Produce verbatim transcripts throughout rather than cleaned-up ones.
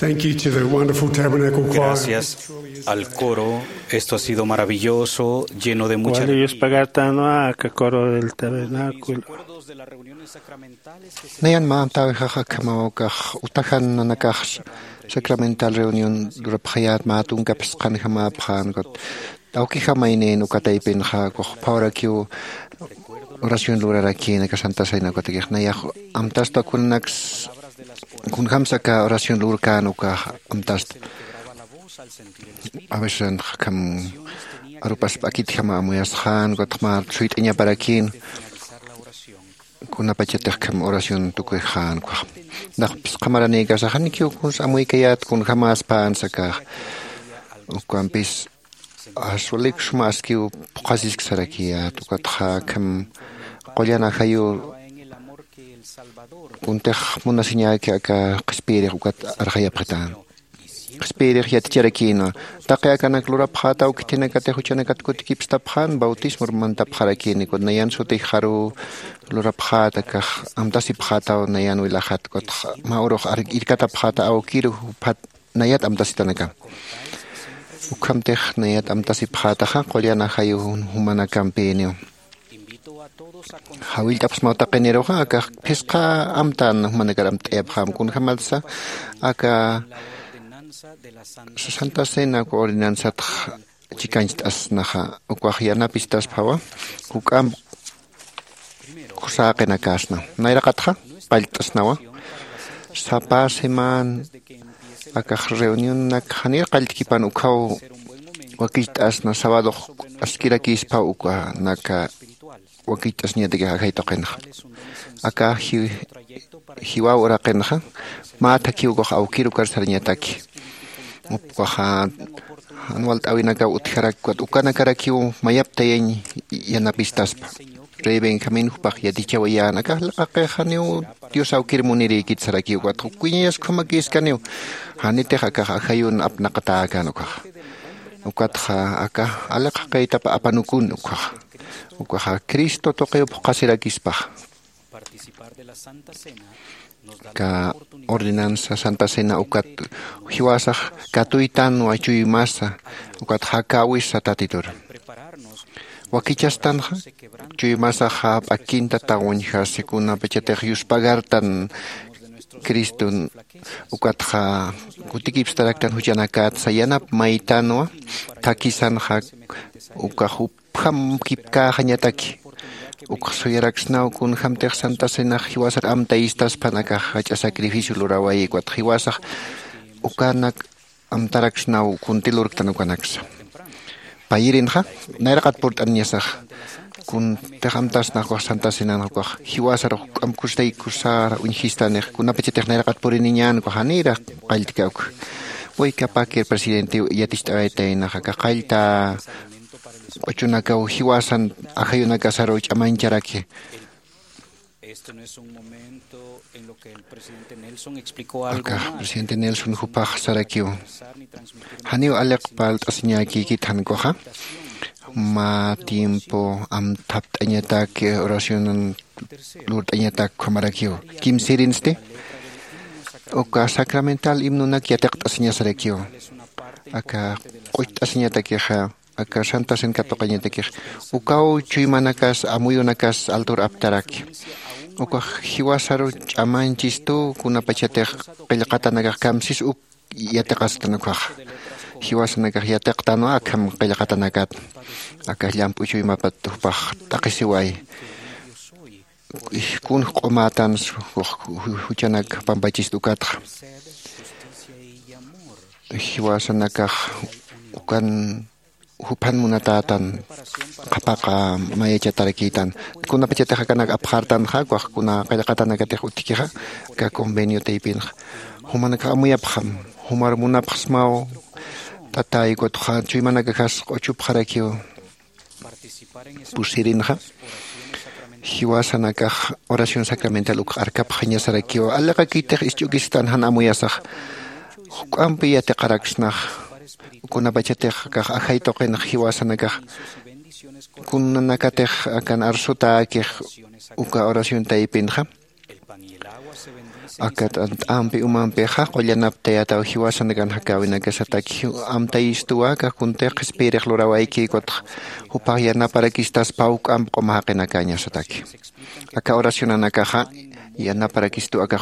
Thank you to the wonderful Tabernacle Choir. Gracias al coro. Esto ha sido maravilloso, lleno de mucha Wali alegría. Yuspagartanwa aka coro del tabernáculo. Recuerdos de las reuniones sacramentales que se Nayan mä amtäwixax akhamaw ukax utajan nanakax sacramental reunión lurapxayät mä tunka phisqanjamapxän ukat awkijamaynïn uka taypinxa ukax phawrakiw oración lurarakïn aka Santa Cena ukatakix nayax amtasta kunanaks kunjams aka oración lurkän ukax amtasta. A veces akham arupas p'akitjama amuyasxän ukatxa mä suyt'añaparakïn kunapachatix akham oración tukuyxän ukax. Nax phisqa maranïkasax janikiw kuns amuykayät kunjamäspänsa akax ukampis aswalik suma askiw phuqhasisk sarakiyät ukatxa akham qullan ajayu kuntix munasiñäki aka qhispiyirix ukat arxayapxitän. Qhispiyirix yaticharakïnwa taqi akanak lurapxätaw khitinakatix juchanakat kutikipstapxän bautismor mantapxarakïni ukat nayan sutixaruw lurapxäta akax amtasipxätaw nayan wilaxat ukatxa mä urux irkatapxäta awkiru juphat nayat amtasitanakam. Ukhamtix nayat amtasipxätaxa qullan ajayu jumanakampïniw. Jawillt'apxsmaw taqiniruxa akax phisqa amtän jumanakar amtt'ayapxäm kunjämatsa aka Santa Cena uka ordenanzatx chikancht'asnaxa ukax yanapistasphawa juk'amp kusäqinakasna. Nayraqatxa pallt'asnawa sapa semana akax reunionak janir qalltkipan ukhaw wakicht'asna sabadox askirakïsphaw ukanaka wakicht'asñatakix ajay tuqinxa aka jiwaw uraqinxa mä thakhiw ukax awkir ukar sarañataki ukaxa jan walt'äwinakaw utjarak ukanakarakiw mayaptayañ yanapistaspa. Rey benjamín jupax yatichawayän akax liqaqix janiw dios awkir munirïkit sarakiw ukatxa ukkuñayas ukhamakïskaniw janitix akax ajayun apnaqatäkän ukaxa ukatxa akax aliqaqïtap apanukun ukaxa ukaxa cristo tuqiw phuqhasirakispaxa. Aka ordenanza santa cena ukat jiwasax katuytanwa chuymasa ukat jakäwisa tatitur wakichastanxa chuymasaxa p'akinta tawañjasi kunapachatix yuspagartan criston ukatxa kutikipstaraktan juchanakatsa yanap maytanwa thakhisanxa ukax jupjam kipkäxañataki ukxa suyaraksnaw kunjämtix santa cenax jiwasar amtayistaspan akax jach'a sacrificio luräwayi ukatxa jiwasax ukanak amtaraksnaw kunti lurktan ukanaksa. Payirinxa nayraqat purt'aniñasax kuntix amtasnax ukax santa cenanxa ukax jiwasar juk'amp kusataykusar uñjistanix kunapachatix nayraqat puriniñän ukax janirax qalltka ukxa. Waykapakir presidentiw yaticht'awaytaynaxa akax qallta q'uchunakaw jiwasan ajayunakasaruw ch'amañcharaki. Akax presidente nelson jupax sarakiw janiw aliq parlt'asiñäkïkit jan ukaxa mä tiempo amthapt'añatak oracionan lurt'añatak ukhamarakiw kimsirinsti uka sacramental himnonak yatiqt'asiñasarakiw aka q'ucht'asiñatakixa aka santa cena katuqañatakix ukaw chuymanakas amuyunakas altur aptaraki ukax jiwasaru ch'amañchistu kunapachatix qillqatanakax kamsis uk yatiqastan ukaxa jiwasanakax yatiqtanwa akham qillqatanakat aka llamp'u chuymapat jupax t'aqhisiway kunx q'umätan juchanak pampachist ukatxa jiwasanakax ukan juphan munatätan qhapaqa mayachatarakïtan kunapachatix akanak apxartanxa ukax kuna qillqatanakatix utjkixa aka convenio taypinxa jumanakax amuyapxam jumar munapxsmaw t'atäy ukatxa chuymanakaxas q'uchupxarakiw pusirinxa jiwasanakax oración sacramental ukx arkapxañasarakiw aliqakitix isch'ukistan jan amuyasax juk'ampi yatiqaraksnax kunapachatix akax ajay tuqinx jiwasanakax kunanakatix akan arsutäkix uka oración taypinxa Aka t'ant'ampi umampixa qullanaptayataw jiwasanakan jakäwinakasataki. Amtayistuwa aka kuntix qhispiyirix lurawayki ukatxa jupax yanaparakistaspä juk'amp q'uma jaqinakäñasataki. Aka oracionanakaxa yanaparakistu aka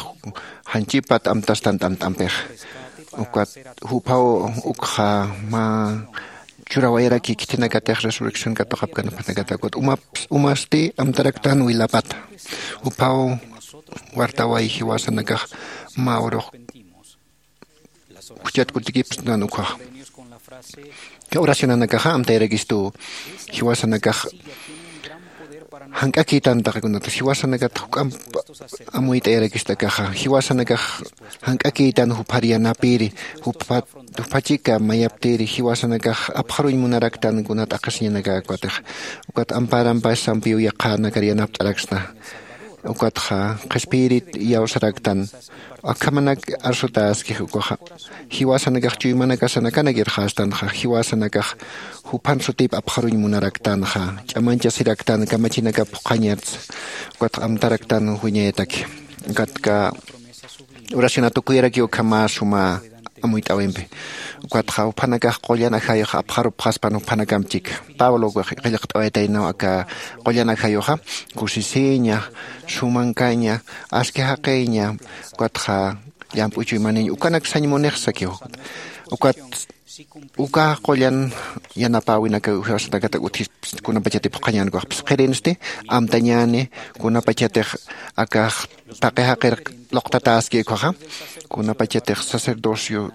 janchipat amtastan t'ant'ampixa. Ukat juphaw ukxa mä churawayaraki khitinakatix resurrección katuqapkanapanakata ukat umaps umasti amtaraktan wilapata. Juphaw wartaway jiwasanakax mä urux juchat kutikipsnan ukhaxa. Oracionanakaxa amtayarakistu jiwasanakax jank'akïtan taqikunata jiwasanakat juk'amp amuyt'ayarakistakaxa jiwasanakax jank'akïtan juphar yanapiri jupha jupachika mayaptiri jiwasanakax apxaruñ munaraktan kuna t'aqhisiñanakakatix. Ukat amparampassampiw yaqhanakar yanapt'araksna ukatxa qhispiyirit iyawsaraktan. Akhamanak arsutäskix ukaxa jiwasanakax chuymanakasanakanak irxastanxa jiwasanakax juphan sutip apxaruñ munaraktanxa ch'amanchasiraktan kamachinakap phuqhañatsa. Ukatxa amtaraktan wiñayataki. Ukatxa oracionat ukuyarakiw ukhama suma amuyt'äwimpi. Ukatxa juphanakax qullan ajayux apxarupxaspan juphanakamp chika pablo qillqt'awaytaynaw aka qullan ajayuxa kusisiña sumankaña aski jaqiña ukatxa llamp'u chuymaniñ ukanak sañ munix sakiw. Ukat uka qullan yanapäwinaka jiwasanakatak utjispa kunapachatip juk'añänkaxpis qhirinsti amtañäni kunapachatix akax taqi jaqir luqtatäski ukhaxa kunapachatix sacerdocio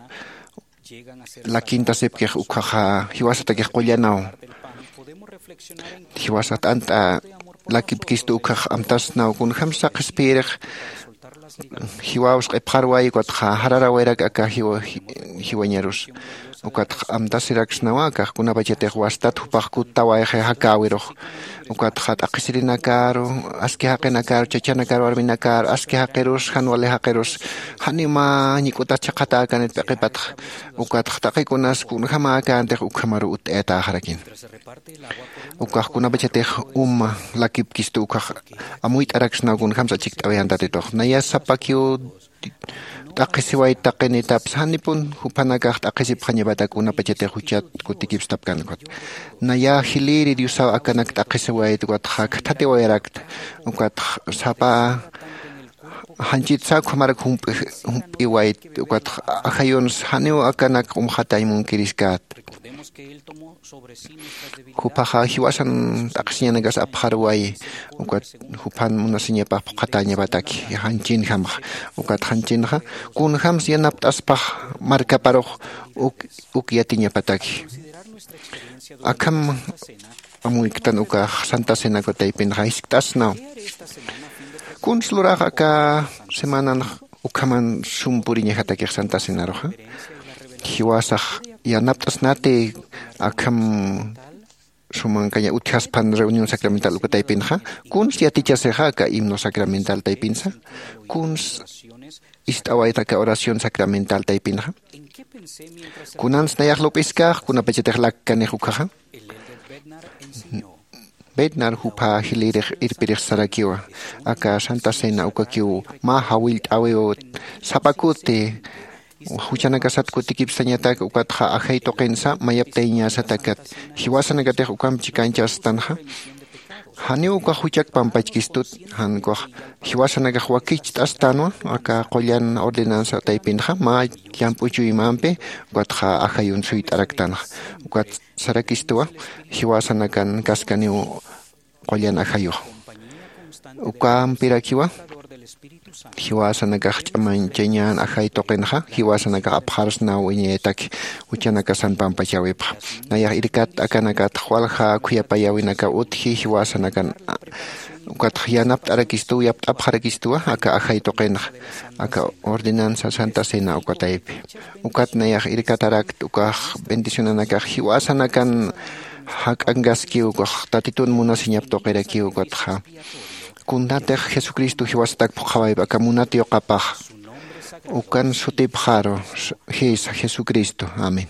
lakintasipkix ukhaxa jiwasatakix qullanaw jiwasa t'ant'a lakipkistu ukhax amtasnaw kunjämsa qhispiyirix jiwaws q'ipxarway ukatxa jararawayarak aka jiwañarus. Ukatxa amtasiraksnawa akax kunapachatix wastat jupax kuttawayxi jakäwirux ukatxa t'aqhisirinakaru aski jaqinakaru chachanakar warminakar aski jaqirus jan wali jaqirus janiw mä ñik'utas chhaqhatäkanit p'iqipatxa. Ukatxa taqikunas kunjämäkäntix ukhamaruw utt'ayatäxarakina. Ukax kunapachatix uma lakipkistu ukax amuyt'araksnaw kunjämsa achikt'awayän tatitux naya sapakiw t'aqhisiwayt taqinitapsa janipun juphanakax t'aqhisipxañapatak kunapachatix juchat kutikipstapkän ukat. Naya jilïri diosaw akanak t'aqhisiwayt ukatxa khathatiwayarakta. Ukatxa sapa janchitsa ukhamarak jump'iwayt ukatxa ajayunsa janiw akanak q'umxatañ munkiriskäta. Juphaxa jiwasan t'aqhisiñanakas apxarwayi ukat juphan munasiñapax phuqhatäñapataki janchinjamxa. Ukat janchinxa kunjämsa yanapt'aspax markaparux uk uk yatiñapataki. Akham amuyktan ukax santa cena uka taypinxa jiskt'asnaw. Kuns lurax aka semananx ukhaman sum puriñajatakix santa cenaruxa jiwasax yanapt'asnati akham sumankaña utjaspan reunión sacramental uka taypinxa? Kuns yatichasixa aka himno sacramental taypinsa? Kuns ist'awayta aka oración sacramental taypinxa? Kunans nayax lup'iskax kunapachatix lakkanix ukhaxa? Bednar jupha jilïrix irpirix sarakiwa aka santa cena ukakiw mä jawillt'äwiw sapa kuti juchanakasat kutikipsañatak ukatxa ajay tuqinsa mayaptayañäsatakat jiwasanakatix ukamp chikañchastanxa. Janiw ukax juchak pampachkistut jan ukax jiwasanakax wakicht'astanwa aka qullan ordenansa taypinxa mä llamp'u chuymampi ukatxa ajayun suyt'araktanxa. Ukat sarakistuwa jiwasanakan kaskaniw qullan ajayux ukampirakiwa jiwasanakax ch'amañchañän ajay tuqinxa jiwasanakax apxarsnaw wiñayataki juchanakasan pampachäwipxa. Nayax irkat akanakat walja khuyapayäwinakaw utji jiwasanakan ukatxa yanapt'arakistuw yapt'apxarakistuwa aka ajay tuqinxa aka ordenanza santa cena uka taypi. Ukat nayax irkatarakt ukax bendicionanakax jiwasanakan jak'ankaskiw ukax tatitun munasiñap tuqirakiw ukatxa kunatix jesucristo jiwasatak phuqhawaypi aka munat yuqapax ukan sutipxaru jisa jesucristo. Amén.